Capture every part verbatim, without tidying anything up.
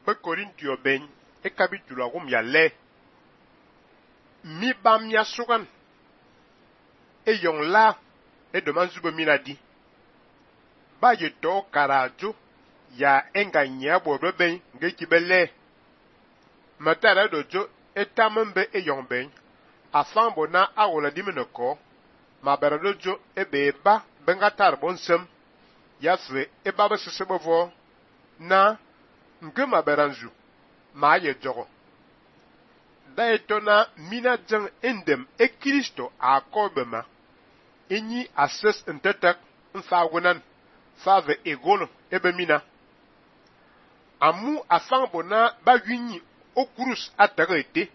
pe Korintio ben e capítulo agum ya le mi bam ya sugan e yong la e de manzuba minadi ba ye to karajo ya enga nya bo ben nge kibele matara dojo etamembe e yong ben afan bona awola dimenoko ma bara dojo e be ba benga tar bonsem ya fre e baba sesebovo na nge ma beranzu ma ye jogo da etona mina jang endem e Kristo akobema enyi ases entetek mfagunan fave egolo ebe mina amu afan bona ba winyi okurus atagete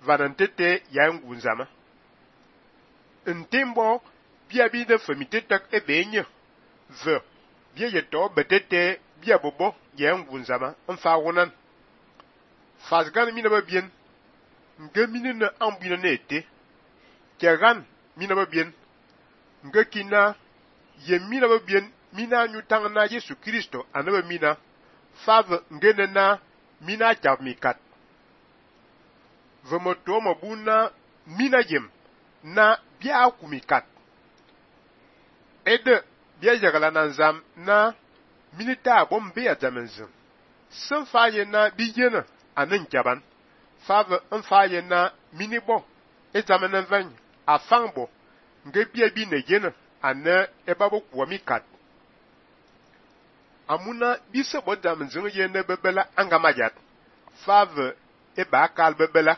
vanantete ya ngunzama ntembo bia bi de femitetek ebe enye ve bia yeto betete bia bobo ya ngunzama mfagunan fasgan mina ba bien nge mini na ambina nete kegan mina ba bien nge kina ye mina ba bien mina nyutang na Yesu Kristo anaba mina fav ngene na mina chamikat vemoto mabuna mina yem na bia kumikat ede bia jagala nanzam na minita bombe azamenzen sen faye na bijena anen jaban fav en faye na minibo ezamenen van afangbo nge bia bi ne jena ane ebabo kwamikat amuna bise bodam zin ye ne bebela angamajat fav e ba kal bebela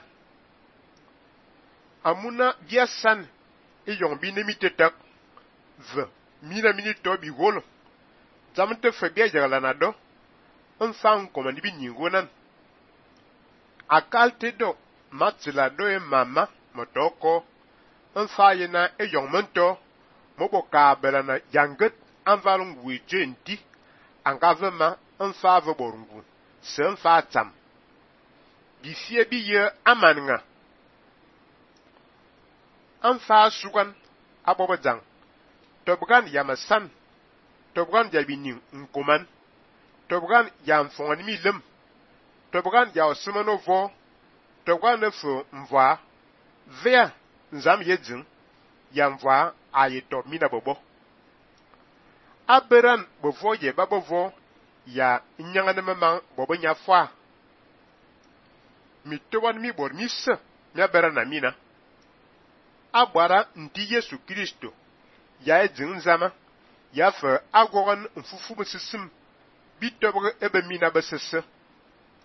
amuna biasan e yon bi ne mitetak v mina minito bi golo zamte fe bia jagala na do en fan komandi bi nyingonan akalte do matila do e mama motoko en faye na e yon mento mobo ka bela na yanget anvalung wijenti angavema en fave borungu sen fatam bifie bi ye amanga en fa sugan abobajang tobgan yamasan tobgan jabinin nkoman tobgan yam fongani mi lem tobgan ya osumanovo tobgan ne fo mva vea nzam yedzin yamva ayeto mina bobo aberan bovo ye babovo ya nyangane mama bobo nya fwa mi towan mi bor mi se mi aberan na mina agbara nti Yesu Kristo ya edzin zama ya fa agoran mfufu besisim bitobre ebe mina besese